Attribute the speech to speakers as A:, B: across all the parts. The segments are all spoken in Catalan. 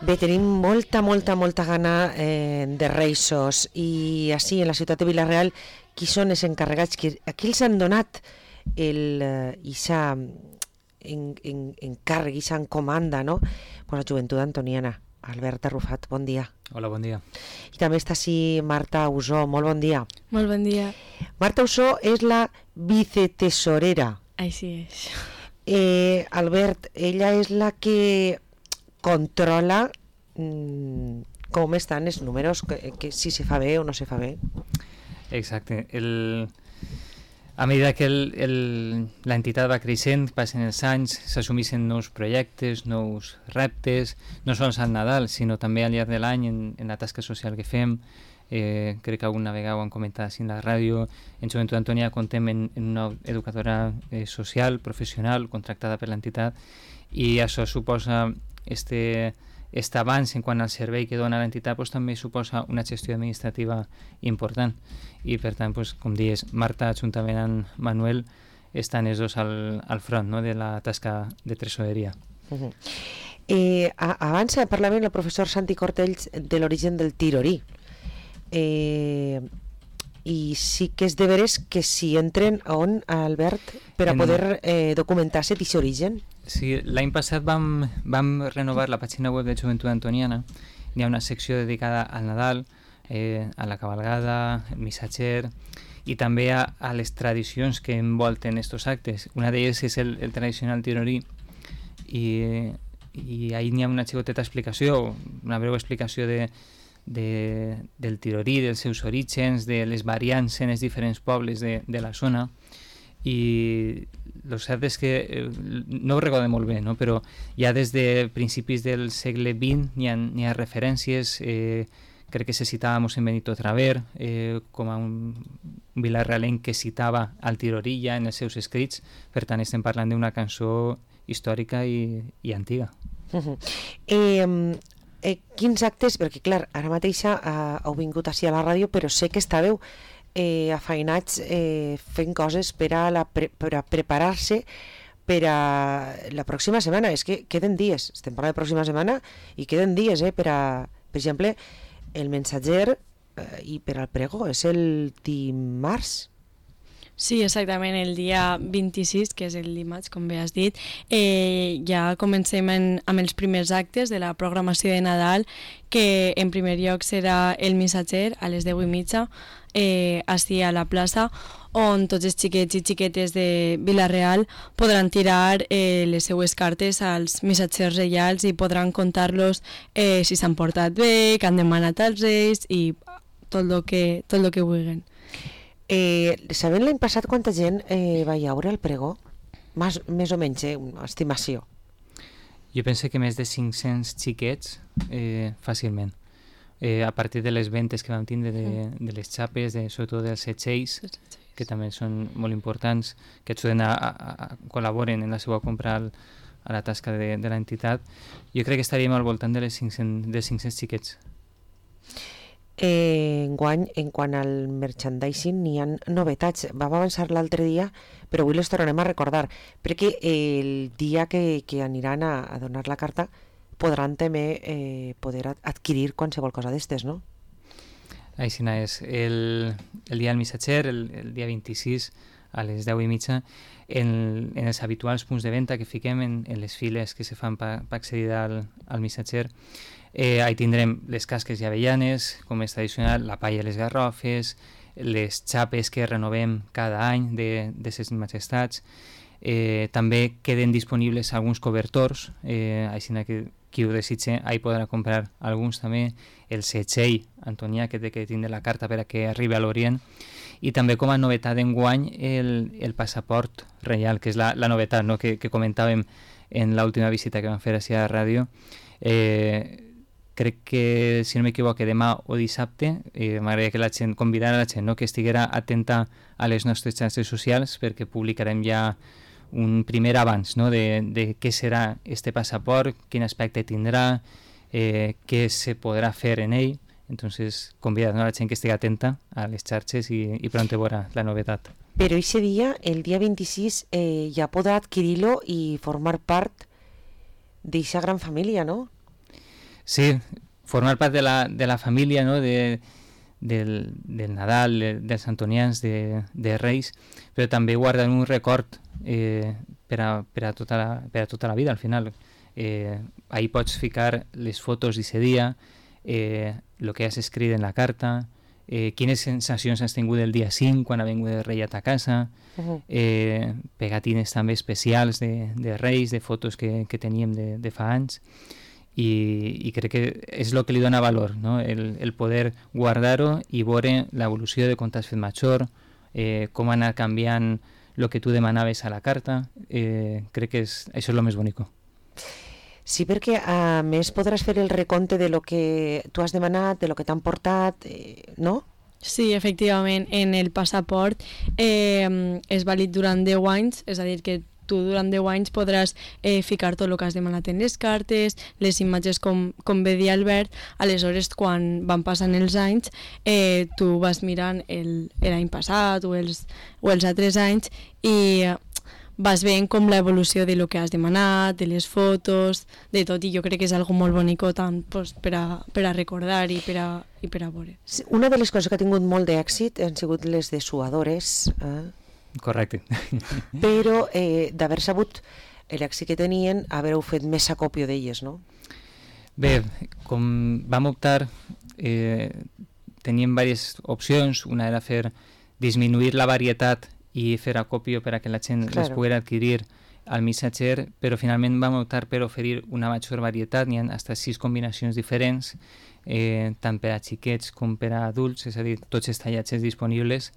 A: Bé, tenim molta gana de reixos i així en la ciutat de Vila-real qui són els encarregats, a qui els han donat ixa encàrrec, ixa encomanda, no? Pues la joventut antoniana. Albert Arrufat, bon dia.
B: Hola, bon dia.
A: I també està així Marta Usó, molt bon dia.
C: Molt bon dia.
A: Marta Usó és la vicetesorera.
C: Així és.
A: Albert, ella és la que controla com estan els números, que si se fa bé o no se fa bé.
B: Exacte. A medida que l'entitat va creixent, passen els anys, s'assumeixen nous projectes, nous reptes, no sols al Nadal, sinó també al llarg de l'any en la tasca social que fem. Crec que alguna vegada ho han comentat així en la ràdio. En Joventut Antònia contem en una educadora social, professional, contractada per l'entitat, i això suposa este avanç en quant al servei que dona l'entitat, doncs, també suposa una gestió administrativa important, i per tant, doncs, com dius, Marta juntament amb Manuel estan els dos al front, no?, de la tasca de tresoreria.
A: Abans parlava el professor Santi Cortells de l'origen del tirorí, i sí que és de veres que si entren on, Albert, per a poder documentar-se d'aquest origen.
B: Sí, l'any passat vam renovar la pàgina web de Joventut Antoniana. Hi ha una secció dedicada al Nadal, a la cabalgada, el missatger, i també a les tradicions que envolten aquests actes. Una d'elles és el tradicional tirorí, i ahí n'hi ha una xicoteta explicació, una breu explicació del tirorí, dels seus orígens, de les variants en els diferents pobles de la zona. I el cert és que no ho recordo molt bé, no? Però ja des de principis del segle XX n'hi ha referències. Crec que se citava mossèn Benito Traver com a un vilarrealenc que citava al tirorí ja en els seus escrits. Per tant, estem parlant d'una cançó històrica i antiga.
A: Quins actes, perquè clar, ara mateix heu vingut així a la ràdio, però sé que estàveu afeinats fent coses per a preparar-se per a la pròxima setmana. És que queden dies, estem parlant de pròxima setmana i queden dies per exemple, el mensatger i per al pregó és el dimarts.
C: Sí, exactament, el dia 26, que és el dimarts, com bé has dit, ja comencem amb els primers actes de la programació de Nadal, que en primer lloc serà el missatger a les 10:30, així a la plaça, on tots els xiquets i xiquetes de Vila-real podran tirar les seues cartes als missatgers reials i podran contar-los si s'han portat bé, que han demanat als reis i tot el que vulguin.
A: Sabem l'any passat quanta gent va llaure el pregó? Més o menys, una estimació.
B: Jo penso que més de 500 xiquets fàcilment. A partir de les ventes que vam tindre de les xapes, sobretot dels setxells, que també són molt importants, que ajuden a col·laboren en la seva compra a la tasca de l'entitat, jo crec que estaríem al voltant de 500 xiquets.
A: Enguany, en quant al merchandising, n'hi ha novetats. Vam avançar l'altre dia, però avui les tornarem a recordar, perquè el dia que aniran a donar la carta podran també poder adquirir qualsevol cosa d'estes, no?
B: Així és. El dia del missatger, el dia 26, a les 10:30, en els habituals punts de venda que fiquem en les files que se fan per accedir al missatger, ahí tindrem les casques i avellanes, com és tradicional, la palla i les garrofes, les xapes que renovem cada any de ses majestats. També queden disponibles alguns cobertors, així que qui ho desitge ahí podrà comprar alguns també, el setxell antonià que té que tindre la carta per a que arribi a l'Orient, i també com a novetat d'enguany el passaport reial, que és la novetat, no?, que comentàvem en l'última visita que vam fer així a la ràdio. Crec que, si no m'equivoco, demà o dissabte m'agradaria que la gent, convidar a la gent, no?, que estiguera atenta a les nostres xarxes socials, perquè publicarem ja un primer abans, no?, de què serà este passaport, quin aspecte tindrà, què se podrà fer en ell. Entonces, convidar a la gent que estigui atenta a les xarxes i pronto veurà la novetat.
A: Però aquest dia, el dia 26, ja podrà adquirir-lo i formar part d'aquesta gran família, no?
B: Sí, formar part de la família, no? Del Nadal, dels Antonians, de Reis, però també guardar un record per a tota la vida, al final. Ahí pots ficar les fotos d'aquest dia, el que has escrit en la carta, quines sensacions has tingut el dia 5 quan ha vingut el rei a ta casa, pegatines també especials de Reis, de fotos que teníem de fa anys, i crec que és el que li dona valor, no? El poder guardar-ho i veure l'evolució de quan t'has fet major, com ha anat canviant el que tu demanaves a la carta. Crec que això és el més bonic.
A: Sí, perquè a més podràs fer el recompte de lo que tu has demanat, de lo que t'han portat, no?
C: Sí, efectivament, en el passaport és vàlid durant 10 anys, és a dir, que tu durant 10 anys podràs ficar tot el que has demanat en les cartes, les imatges com bé dir Albert. Aleshores, quan van passant els anys, tu vas mirant l'any passat o els altres anys i vas veient com l'evolució de lo que has demanat, de les fotos, de tot, i jo crec que és algo molt bonic tant pues, per a recordar i per a veure.
A: Sí, una de les coses que ha tingut molt d'èxit han sigut les dessuadores,
B: Correcte.
A: però d'haver sabut l'èxit que tenien, haver-ho fet més acòpio d'elles, no?
B: Bé, com vam optar, teníem diverses opcions. Una era disminuir la varietat i fer acòpio per a que la gent les pogués adquirir al missatger, però finalment vam optar per oferir una major varietat. N'hi ha fins 6 combinacions diferents, tant per a xiquets com per a adults, és a dir, tots els tallatges disponibles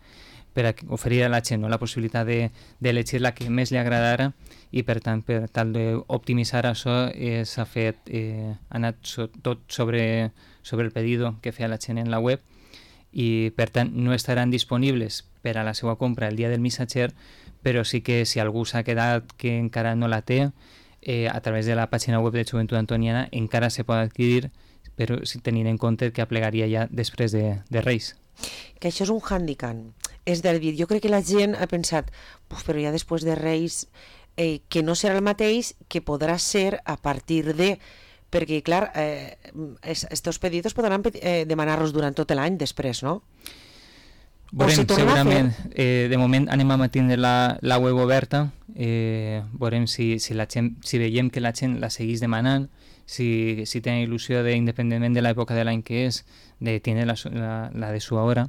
B: per a oferir a la gent, no? La possibilitat d'elegir la que més li agradara, i per tant, per tal d'optimitzar això, s'ha fet, ha anat tot sobre el pedido que feia la gent en la web, i per tant no estaran disponibles per a la seva compra el dia del missatger, però sí que si algú s'ha quedat que encara no la té, a través de la pàgina web de Joventut Antoniana encara se pot adquirir, però tenint en compte que aplegaria ja després de Reis.
A: Que això és un hàndicap. És a dir, jo crec que la gent ha pensat, però ja després de Reis, que no serà el mateix que podrà ser a partir de... Perquè, clar, estos pedidos podran demanar-los durant tot l'any després, no?
B: Veurem, segurament. De moment anem a mantenir la web oberta, veurem si veiem que la gent la segueix demanant, si tenen il·lusió, independentment de l'època de l'any que és, de tenir la de su hora,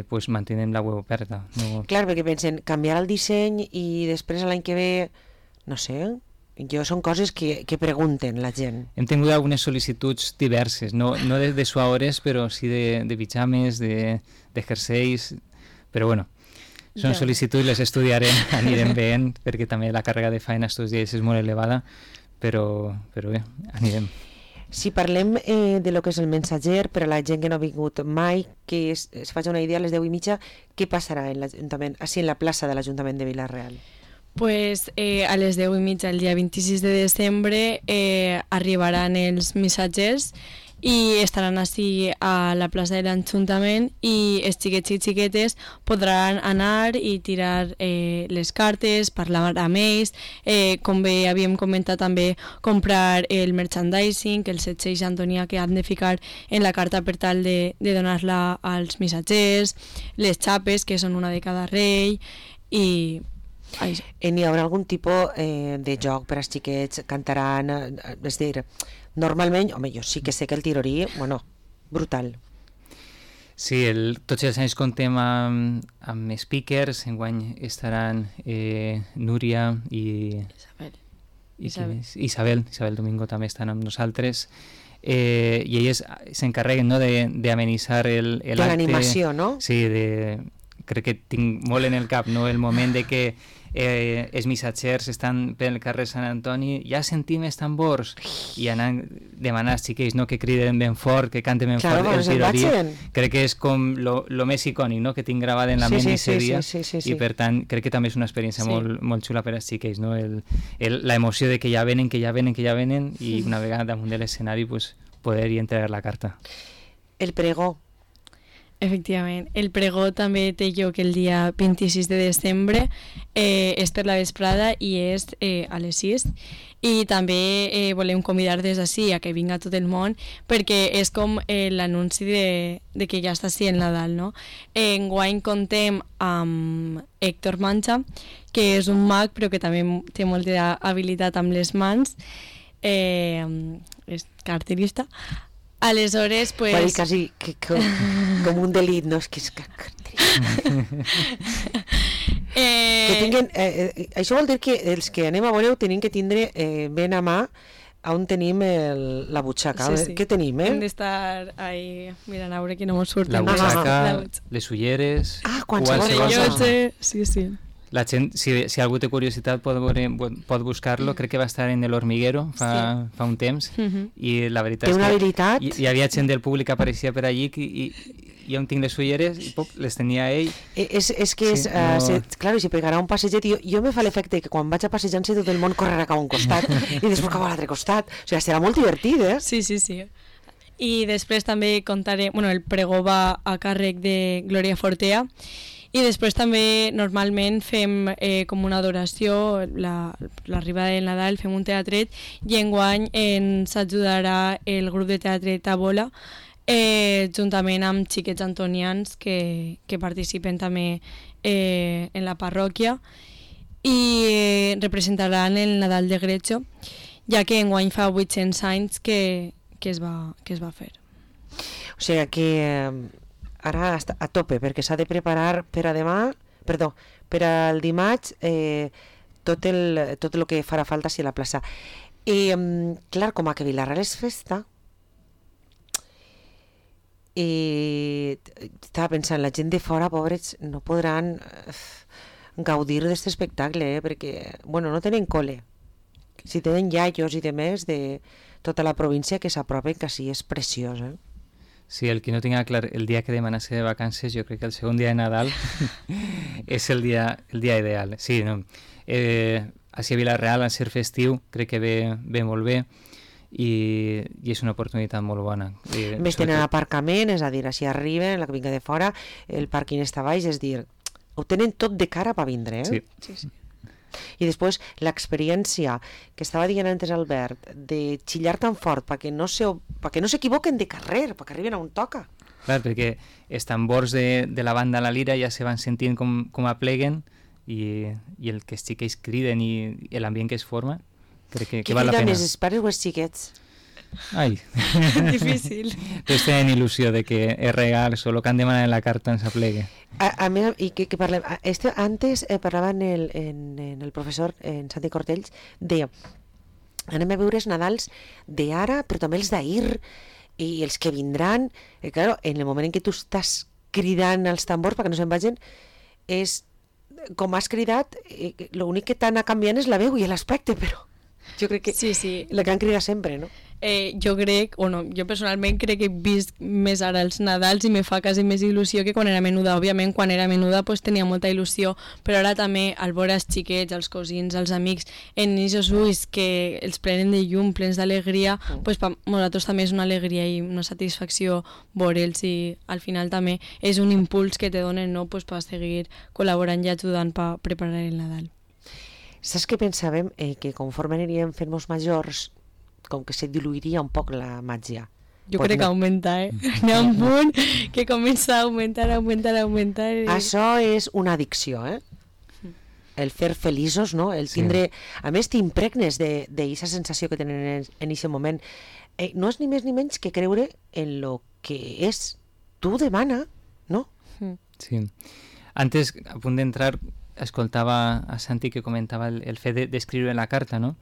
B: pues mantenem la web oberta. No...
A: Clar, perquè pensen canviar el disseny i després l'any que ve, no sé, són coses que pregunten la gent.
B: Hem tingut algunes sol·licituds diverses, no de suadores, però sí de pijames, de jerseis, però bueno, són sol·licituds, les estudiarem, anirem veient, perquè també la càrrega de feina estos dies és molt elevada, però bé, anirem.
A: Si parlem de lo que és el missatger, per a la gent que no ha vingut mai, que es faci una idea, a les 10:30, què passarà en l'Ajuntament, així en la plaça de l'Ajuntament de Vila-real?
C: Pues a les 10:30 el dia 26 de desembre arribaran els missatgers i estaran així a la plaça de l'Ajuntament, i els xiquets i xiquetes podran anar i tirar les cartes, parlar amb ells, com bé havíem comentat també, comprar el merchandising, els setxells Antonià que han de ficar en la carta per tal de donar-la als missatgers, les xapes, que són una de cada rei, i...
A: N'hi haurà algun tipus de joc per als xiquets, cantaran, és a dir, normalment, home, jo sí que sé que el tirorí, bueno, brutal.
B: Sí, tots els anys comptem amb speakers, enguany estaran Núria i Isabel Domingo també estan amb nosaltres, i elles s'encarreguen, no, d'amenitzar l'acte.
A: De l'animació, no?
B: Sí, crec que tinc molt en el cap, no, el moment de que els missatgers estan pel carrer Sant Antoni, ja sentim els tambors, i anant demanant als xiquets, no, que criden ben fort, que canten ben fort el tirorí. Crec que és com lo més icònic, no, que tinc gravat en la ment d'aquest dia, i per tant crec que també és una experiència molt xula per als xiquets, no? La emoció de que ja venen, i una vegada damunt de l'escenari pues, poder-hi entregar la carta.
A: El pregó.
C: Efectivament. El pregó també té lloc el dia 26 de desembre, és per la vesprada i és a les 6. I també volem convidar des d'ací a que vinga tot el món, perquè és com l'anunci de que ja està així el Nadal, no? Enguany contem amb Héctor Mancha, que és un mag però que també té molta habilitat amb les mans, és carterista. Aleshores, pues...
A: Va dir quasi com un delit, no? És que és que tinguen, això vol dir que els que anem a veure tenim que tindre ben a mà on tenim la butxaca. Sí. Què tenim,
C: Hem d'estar ahí mirant a veure que no mos surten.
B: La butxaca, les ulleres...
A: qualsevol cosa.
C: Sí.
B: La gent, si algú té curiositat pot buscar-lo, crec que va estar en El Hormiguero fa un temps, i la veritat
A: té una
B: és que
A: habilitat.
B: hi havia gent del públic que apareixia per allí i on tinc les ulleres i les tenia ell.
A: És que claro, si pegarà un passeget, jo me fa l'efecte que quan vaig a passejar-se tot el món correrà cap a un costat i després cap a l'altre costat, o sigui, serà molt divertit,
C: Sí. I després també contaré, el pregó va a càrrec de Glòria Fortea. I després també normalment fem com una adoració, l'arribada del Nadal, fem un teatret i enguany ens ajudarà el grup de teatre Tabola juntament amb xiquets antonians que participen també en la parròquia i representaran el Nadal de Grecho, ja que enguany fa 800 anys que es va fer.
A: O sigui que... ara està a tope, perquè s'ha de preparar per al dimarts tot el que farà falta a la plaça. I, clar, com a que Vilarreal és festa, estava pensant, la gent de fora, pobres, no podran gaudir d'aquest espectacle, perquè, no tenen cole. Si tenen iaios i demés de tota la província que s'apropen, que sí, és preciós,
B: Sí, el que no tinga clar el dia que demanarse de vacances, jo crec que el segon dia de Nadal és el dia ideal. Sí, no? Així a Vilarreal, al ser festiu, crec que ve molt bé i és una oportunitat molt bona.
A: Més tenen aparcament, és a dir, així arriben, la que vinga de fora, el pàrquing està baix, és dir, ho tenen tot de cara per vindre,
B: Sí.
A: I després l'experiència que estava dient antes Albert de xillar tan fort perquè no s'equivoquen de carrer, perquè arriben a on toca.
B: Clar, perquè els tambors de la banda La Lira ja se van sentint com apleguen i el que els xiquets criden i l'ambient que es forma, crec que val la pena.
A: Qui crida més, els pares o els xiquets?
B: Ai,
C: difícil.
B: Tots tenen il·lusió de que és real, solo que han demanat en la carta ens aplegue.
A: A més, i que parlem, antes parlava en el professor en Santi Cortells, deia, anem a veure els Nadals d'ara, però també els d'ahir, i els que vindran, claro, en el moment en què tu estàs cridant els tambors perquè no se'n vagin, és, com has cridat, l'únic que t'ha anat canviant és la veu i l'aspecte, però jo crec que
C: sí.
A: La que han cridat sempre, no?
C: Jo personalment crec que he vist més ara els Nadals i me fa quasi més il·lusió que quan era menuda. Òbviament, quan era menuda pues, tenia molta il·lusió, però ara també al veure els xiquets, els cosins, els amics, en aquests ulls que els prenen de llum, plens d'alegria, pues, per nosaltres també és una alegria i una satisfacció veure'ls i al final també és un impuls que te donen, no? Pues, per seguir col·laborant i ajudant per preparar el Nadal.
A: Saps què pensàvem? Que conforme aniríem fent-nos majors, com que se diluiria un poc la màgia.
C: Jo crec que augmenta, Hi ha un punt que comença a augmentar.
A: Això és una addicció, El fer feliços, no? El tindre... Sí. A més, t'impregnes d'aquesta sensació que tenen en aquest moment. No és ni més ni menys que creure en lo que és. Tu demana, no?
B: Sí. Antes, a punt d'entrar, escoltava a Santi que comentava el fet d'escriure la carta, no?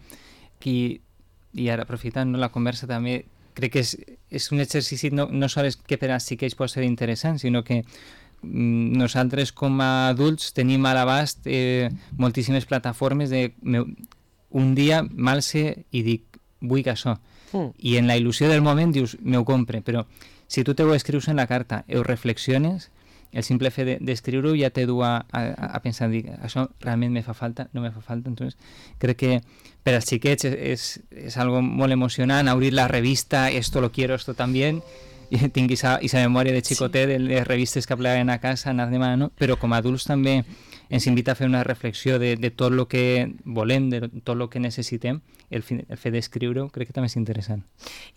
B: I ara, aprofitant la conversa també, crec que és un exercici no sols que per als xiquets pot ser interessant, sinó que nosaltres com a adults tenim a l'abast moltíssimes plataformes de un dia m'alce i dic vull que això, i en la il·lusió del moment dius m'ho compre, però si tu ho escrius en la carta, ho reflexiones, el simple fet d'escriure-ho ja te du a pensar, dic, això realment me fa falta, no me fa falta. Entonces, crec que per als xiquets és algo molt emocionant, obrir la revista, esto lo quiero, esto también, tinc aquesta memòria de xicotet, de les revistes que plegaven a casa, anar demanant, no? Però com a adults també ens invita a fer una reflexió de tot el que volem, de tot el que necessitem. El fet d'escriure-ho crec que també és interessant.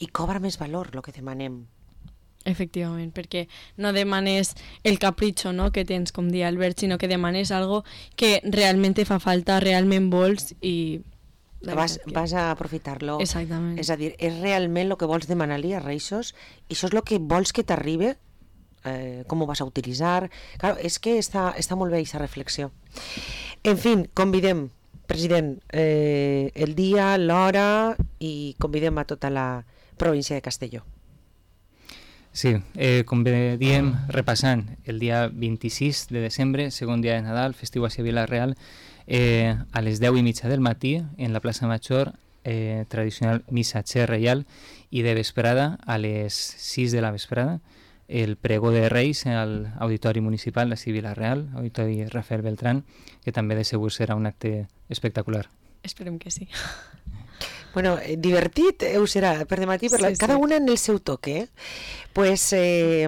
A: I cobra més valor el que demanem.
C: Efectivament, perquè no demanes el capritxo, no?, que tens, com dia Albert, sinó que demanes algo que realment te fa falta, realment vols i...
A: Vas a aprofitar-lo.
C: Exactament.
A: És a dir, és realment el que vols demanar-li a Reixos i això és el que vols que t'arribe, com ho vas a utilitzar. Claro, és que està molt bé aquesta reflexió. En fi, convidem, president, el dia, l'hora i convidem a tota la província de Castelló.
B: Sí, com bé diem, repassant el dia 26 de desembre, segon dia de Nadal, festiu a Vila-real, a les 10:30 del matí en la plaça Major, tradicional missatger reial, i de vesprada a les 6 de la vesprada el pregó de Reis al Auditori Municipal de Vila-real, Auditori Rafael Beltrán, que també de segur serà un acte espectacular.
C: Esperem que sí.
A: Bueno, divertit ho serà per dematí, cada una en el seu toque. Pues,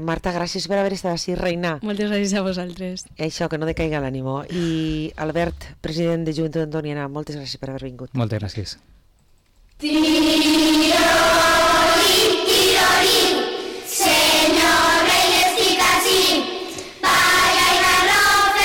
A: Marta, gràcies per haver estat així, reina.
C: Moltes gràcies a vosaltres.
A: Això, que no decaiga l'ànimo. I Albert, president de Joventut Antoniana, moltes gràcies per haver vingut.
B: Moltes gràcies.